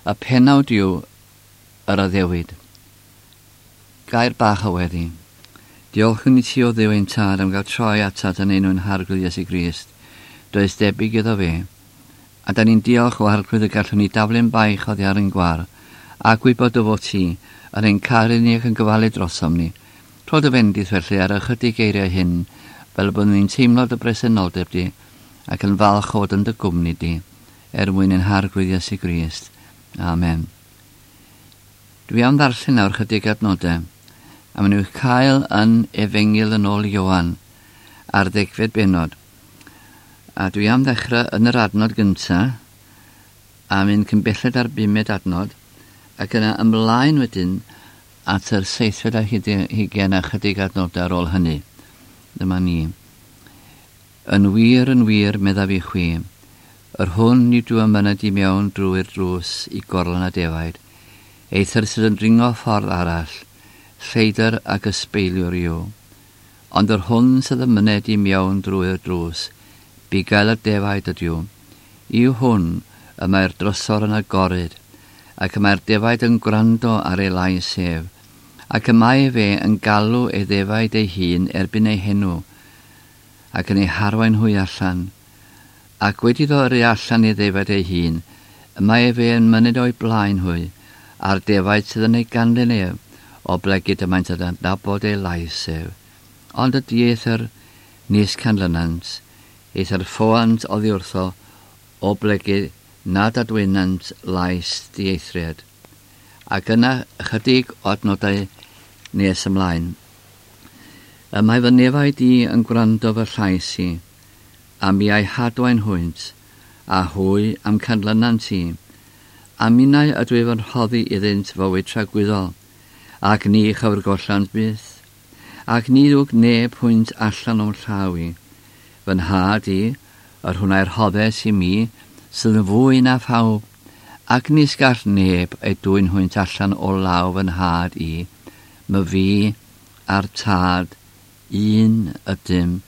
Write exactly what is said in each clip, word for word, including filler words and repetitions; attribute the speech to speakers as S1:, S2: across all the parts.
S1: Y pennawd yw yr addewid. Gair bach o weddi. Diolchwn i ti o Dduw ein tad am gael troi atat yn enw'n Harglwydd Iesu Grist. Does debyg iddo fe. A da ni'n diolch o Arglwydd y gallwn ni daflu'n baich oddi ar ein gwar, a gwybod dy fod ti yn ein caru ni ac yn gofalu drosom ni. Rho dy fendith felly ar ychydig geiriau hyn, fel y byddwn ni'n teimlo dy bresenoldeb di, ac yn falch o fod yn dy gwmni di, er mwyn ein Harglwydd Iesu Grist. Amen. Dwi am ddarllen nawr chydig adnodau, a maen nhw'n cael yn Efengyl yn ôl Ioan ar ddegfed bennod. A dwi am ddechrau yn yr adnod gyntaf, a mynd cyn belled ar bumed adnod, ac yna ymlaen wedyn at yr seithfed ar hugain a chydig adnodau ar ôl hynny. Dyma ni. Yn wir, yn wir, meddaf i chwi, yr hwn nid yw yn myned i mewn drwy'r drws i gorlan a defaid, eithr sydd yn dringo ffordd arall, lleidr ac ysbeiliwr yw. Ond yr hwn sydd yn myned i mewn drwy'r drws, bugail y defaid ydyw. I'w hwn y mae'r drysor yn agored, ac y mae'r defaid yn gwrando ar ei lais ef, ac y mae fe yn galw ei ddefaid ei hun erbyn ei henw, ac yn ei harwain hwy allan. Ac wedi iddo yrru allan ei ddefaid ei hun, y mae efe yn myned o'i blaen hwy, a'r defaid sydd yn ei ganlyn ef, oblegid y maent yn adnabod ei lais ef. Ond y dieithr nis canlynant, eithr ffoant oddi wrtho, oblegid nad adwynant lais dieithriad. Ac yna ychydig o adnodau nes ymlaen. Y mae fy nefaid i yn gwrando fy llais i, a mi a'i hadwain hwynt, a hwy am canlynant i, a minnau ydw i fy rhoddi iddynt fywyd tragwyddol, ac ni chyfrgollant byth, ac ni ddwg neb hwynt allan o'm llaw i. Fy nhad i, yr hwn a'i rhoddes i mi, sydd yn fwy na phawb, ac nis gall neb ei dwyn hwynt allan o law fy nhad i, my fi a'r tad un ydym.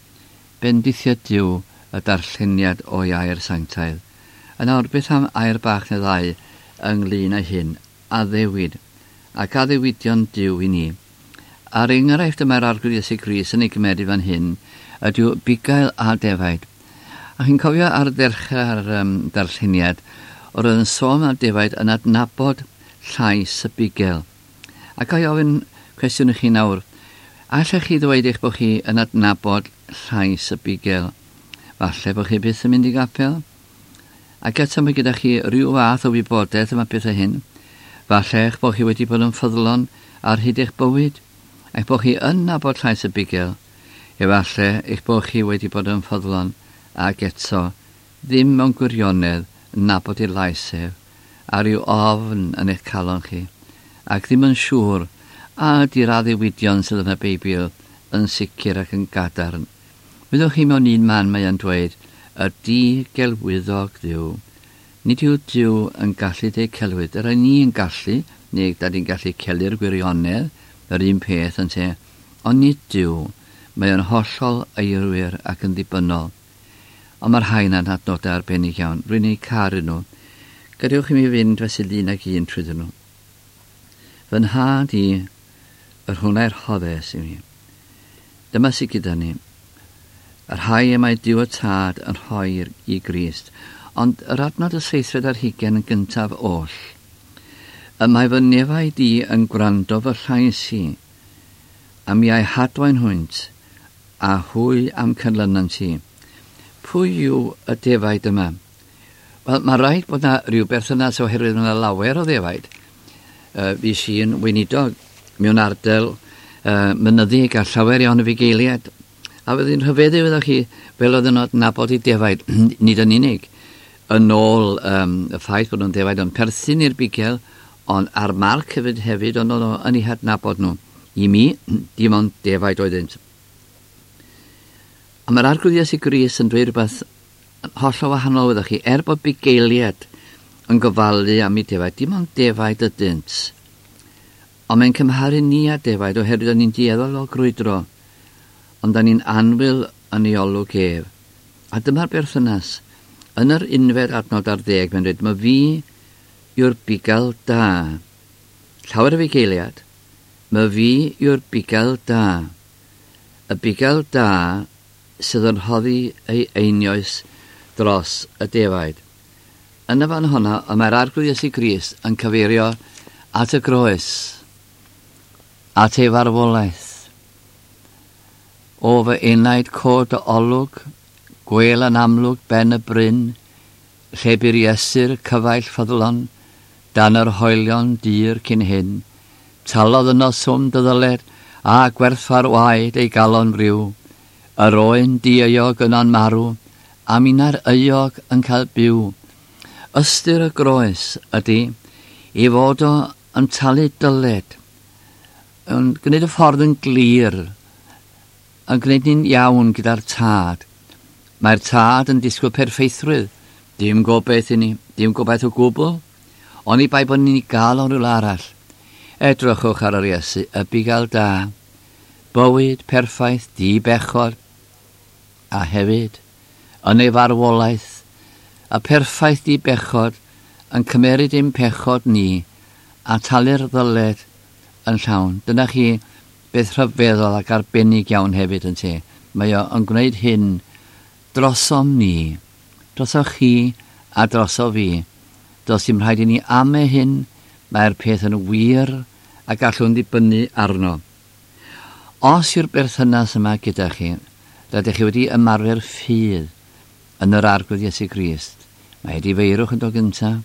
S1: Bendithio Duw y darlleniad o'i air sanctaidd. Yn awr, beth am air bach neu ddau ynglyn â hyn, addewid, ac addewidion Duw i ni. A'r enghraifft y mae'r Arglwydd Iesu Grist yn ei gymeryd fan hyn ydyw bugail a defaid. A chi'n cofio ar ddechrau'r um, darlleniad, oedd yn sôn am defaid yn adnabod llais y bugail. Ac a i ofyn cwestiwn i chi nawr, allech chi ddweud eich bod chi yn adnabod llais y bugail? Falle bod chi byth yn mynd i gapel? Ac eto mae gyda chi rhyw fath o wybodaeth am y pethau hyn. Falle eich bod chi wedi bod yn ffyddlon ar hyd eich bywyd, eich bod chi yn nabod llais y bugail. Efallai eich bod chi wedi bod yn ffyddlon ac eto ddim mewn gwirionedd yn nabod ei lais ef, a rhyw ofn yn eich calon chi, ac ddim yn siŵr a ydy'r addewidion sydd yn y Beibl yn sicr ac yn gadarn. Wyddwch chi mewn un man mae yn dweud, y di-gelwyddog Dduw. Nid yw Duw yn gallu deud celwydd. Yr ni yn gallu, neu da ni'n gallu celu'r gwirionedd, yr un peth yn te, ond nid Duw. Mae yn hollol eirwir ac yn ddibynnol. Ond mae'r rhain yn adnodau arbennig iawn. Rwy'n eu caru nhw. Gadewch i mi fynd fesul un ag un trwyddyn nhw. Fy nhad i, yr hwn a'i rhoddes i mi. Dyma sydd gyda ni. Y rhai y mae Duw y Tad yn rhoi i Grist, ond yr adnod y seithfed ar hugain yn gyntaf oll. Y mae fy nefaid i yn gwrando fy llais i, a mi a'i hadwain hwynt, a hwy am canlynant i. Pwy yw y defaid yma? Wel, mae rhaid bod yna rhyw berthynas oherwydd yna lawer o ddefaid. Uh, fi sy'n weinidog mewn ardal uh, mynyddig a llawer iawn o fugeiliaid. A fyddi'n rhyfeddu fyddwch chi fel oedden nhw'n adnabod i defaid, nid yn unig, yn ôl um, y ffaith bod nhw'n defaid yn perthyn i'r bugail, ond ar marc hefyd hefyd, ond o'n yn eu hadnabod nhw. I mi, dim ond defaid oeddynt. A mae'r Arglwydd Iesu Grist yn dweud rhywbeth hollol wahanol fyddwch chi, er bod bugeiliaid yn gofalu am eu defaid, dim ond defaid ydynt. Ond mae'n cymharu ni â defaid oherwydd o'n ni'n dueddol o grwydro, ond da ni'n annwyl yn ei olwg ef. A dyma'r berthynas. Yn yr unfed adnod ar ddeg, mae'n dweud, mae fi yw'r bugail da. Llawer o fugeiliad, myfi yw'r bugail da. Y bugail da sydd yn rhoddi ei einioes dros y defaid. Yn y fan honna, y mae'r Arglwydd Iesu Grist yn cyfeirio at y groes, at ei farwolaeth. O fy enaid cod dy olwg, gwel yn amlwg ben y bryn, lle bu'r Iesu'r cyfaill ffyddlon, dan yr hoelion dir cyn hyn, talodd yno swm dy ddyled, a gwerthfawr waed ei galon friw, yr oen dieuog yno'n marw, a minna'r euog yn cael byw. Ystyr y groes ydy i fod o yn talu dyled, yn gwneud y ffordd yn glir, yn gwneud ni'n iawn gyda'r tad. Mae'r tad yn disgwyl perffeithrwydd, dim gobaith i ni, dim gobaith o gwbl, oni bai bod ni'n gael o rywle arall. Edrychwch ar yr Iesu, y bugail da, bywyd perffaith, di-bechod, a hefyd, yn ei farwolaeth, y perffaith di-bechod yn cymeryd ein pechod ni a talu'r ddyled yn llawn. Dyna chi beth rhyfeddol ac arbennig iawn hefyd yn te. Mae o yn gwneud hyn drosom ni, droso chi a droso fi. Does dim rhaid i ni ame hyn, mae'r peth yn wir a gallwn ddibynnu arno. Os yw'r berthynas yma gyda chi, rydych chi wedi ymarfer ffydd yn yr Arglwydd Iesu Grist. Mae edifeirwch yn dod gyntaf.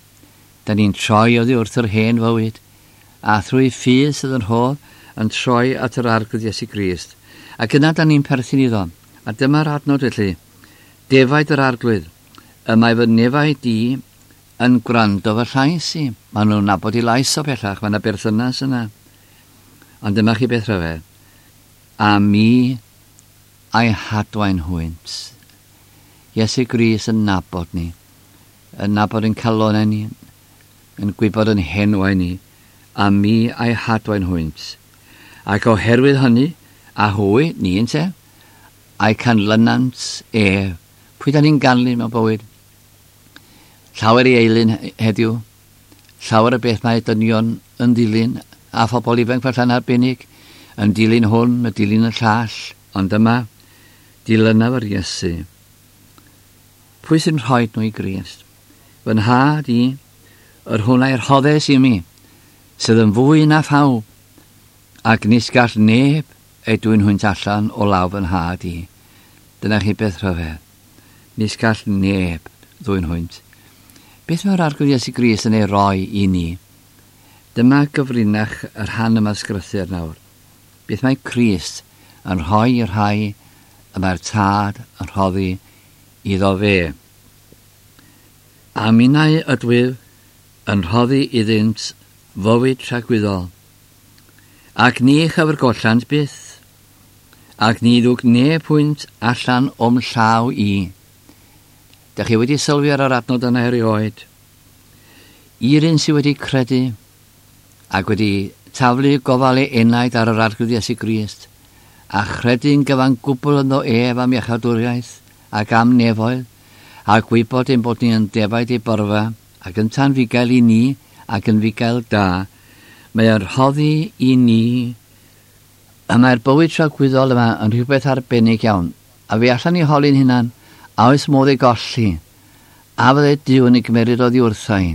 S1: Da ni'n troi oddi wrth yr hen fywyd, a thrwy ffydd sydd yn rhodd yn troi at yr Arglwydd Iesu Grist. Ac yna da ni'n perthyn iddo. A dyma'r adnod felly. Defaid yr Arglwydd, y mae fy nefaid i yn gwrando fy llais i. Maen nhw'n nabod i lais o bellach, mae yna berthynas yna. Ond dyma chi beth rhyfedd. A mi a'i hadwain hwynt. Iesu Grist yn nabod ni, yn nabod yn calonau ni, yn gwybod yn henwau ni, a mi a'i hadwain hwynt. Ac oherwydd hynny, a hwy, ni ynte, a'i canlynant ef. Pwy da ni'n ganlyn mewn bywyd? Llawer i eilun heddiw, llawer y beth mae dynion yn dilyn, a phobl ifanc falle'n arbennig, yn dilyn hwn, yn dilyn y llall, ond yma, dilynaf yr Iesu. Pwy sy'n rhoi nhw i Grist? Fy nhad i, yr hwn a'i rhoddes i mi, sydd yn fwy na phawb, ac nis gall neb ei dwyn hwynt allan o law fy nhad i. Dyna chi beth rhyfedd. Nis gall neb ddwyn hwynt. Beth mae'r Arglwydd Iesu Grist yn ei roi i ni? Dyma gyfrinach y rhan yma sgrythur nawr. Beth mae Crist yn rhoi i'r rhai y mae'r tad yn rhoddi iddo fe? A minnau ydwyf yn rhoddi iddynt fywyd tragwyddol, ac ni chyfrgollant byth, ac ni ddwg neb hwynt allan o'm llaw i. Dach chi wedi sylwi ar yr adnod yna erioed? I'r un sydd wedi credu ac wedi taflu gofal ei enaid ar yr Arglwydd Iesu Grist, a chredu'n gyfan gwbl ynddo ef am iachawdwriaeth ac am nefoedd, a gwybod ein bod ni yn defaid ei borfa, ac yn tan fugail i ni ac yn fugail da, mae o'n rhoddi i ni, a mae'r bywyd tragwyddol yma yn rhywbeth arbennig iawn, a fe allan ni holi'n hunan, a oes modd ei golli, a fydde Duw yn ei gymeryd oddi wrtha i.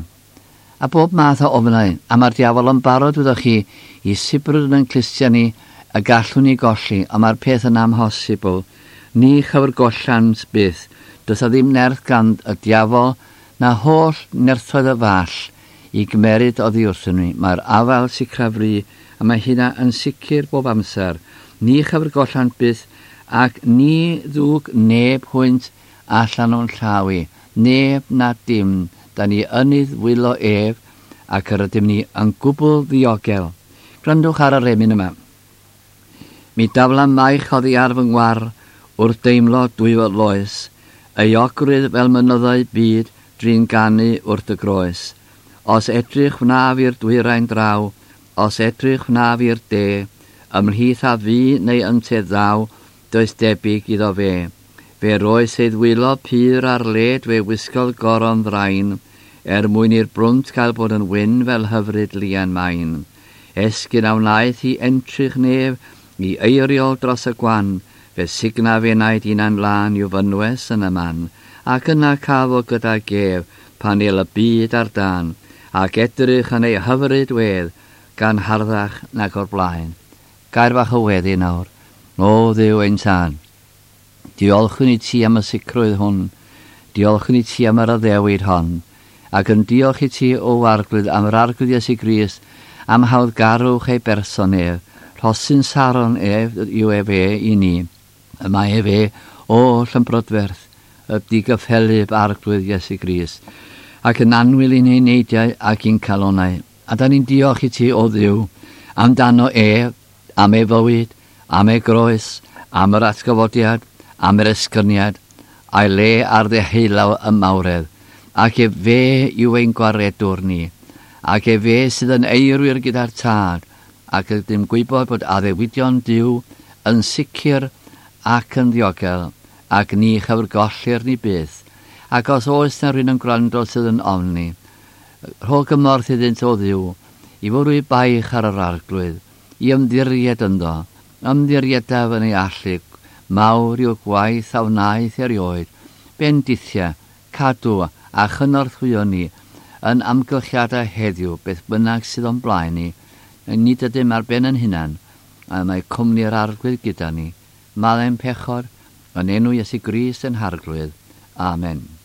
S1: A bob math o ofnau, a mae'r diafol yn barod, wyddoch chi, i sibrwd yn clustiau ni, y gallwn ni golli, a mae'r peth yn amhosibl. Ni chyfrgollant byth, does a ddim nerth gan y diafol, na holl nerthoedd y fall i gymeryd oddi wrthyn ni. Mae'r afael sicraf fri, a mae hynna yn sicr bob amser. Ni chyfrgollant byth, ac ni ddwg neb hwynt allan o'n llaw i. Neb na dim, da ni yn ei ddwylo ef, ac yr ydym ni yn gwbl ddiogel. Gwrandwch ar yr emyn yma. Mi dafla maich oddi ar fy ngwar, wrth deimlo dwyfod loes, euogrwydd fel mynyddau byd drin ganu wrth y groes. Os edrych wnaf i'r dwyrain draw, os edrych wnaf i'r de, ymhlith a fi neu ynte ddaw, does debyg iddo fe. Fe roes ei ddwylo pur ar led, fe wisgodd goron ddrain, er mwyn i'r brwnt gael bod yn wyn fel hyfryd lian main. Esgyn a wnaeth i entrych nef, i eiriol dros y gwan, fe signa fe enaid unan lân i'w fynwes yn y man, ac yna cafo gyda gef pan el y byd ar dan, ac edrych yn ei hyfryd wedd, gan harddach nag o'r blaen. Gair fach o weddi nawr, o Dduw ein tân. Diolchwn i ti am y sicrwydd hwn, diolchwn i ti am yr addewid hon, ac yn diolch i ti o Arglwydd am yr Arglwydd Iesu Grist, am hawddgarwch ei berson ef, rhosyn Saron ef yw ef e i ni. Y mae ef e oll yn brydferth, y digyffelyb Arglwydd Iesu Grist, ac yn annwyl i'n eneidiau ac i'n calonau. A da ni'n diolch i ti o Dduw amdano e, am ei fywyd, am ei groes, am yr atgyfodiad, am yr esgyniad, a'i le ar ddeheulaw y mawredd, ac e fe yw ein gwaredwr ni, ac e fe sydd yn eirwyr gyda'r tad, ac ydym gwybod bod addewidion Duw yn sicr ac yn ddiogel, ac ni chyfrgollir ni byth, ac os oes na rhywun yn gwrando sydd yn ofni, rho gymorth iddynt o Dduw, i fwrw eu baich ar yr Arglwydd, i ymddiried ynddo, ymddiriedaf yn ei allu, mawr yw'r gwaith a wnaeth erioed, bendithia, cadw a chynorthwyo ni yn amgylchiadau heddiw, beth bynnag sydd o'n blaen ni, nid ydym ar ben yn hunan, a mae cwmni'r Arglwydd gyda ni. Maddau'n pechod, yn enw Iesu Grist yn Harglwydd. Amen.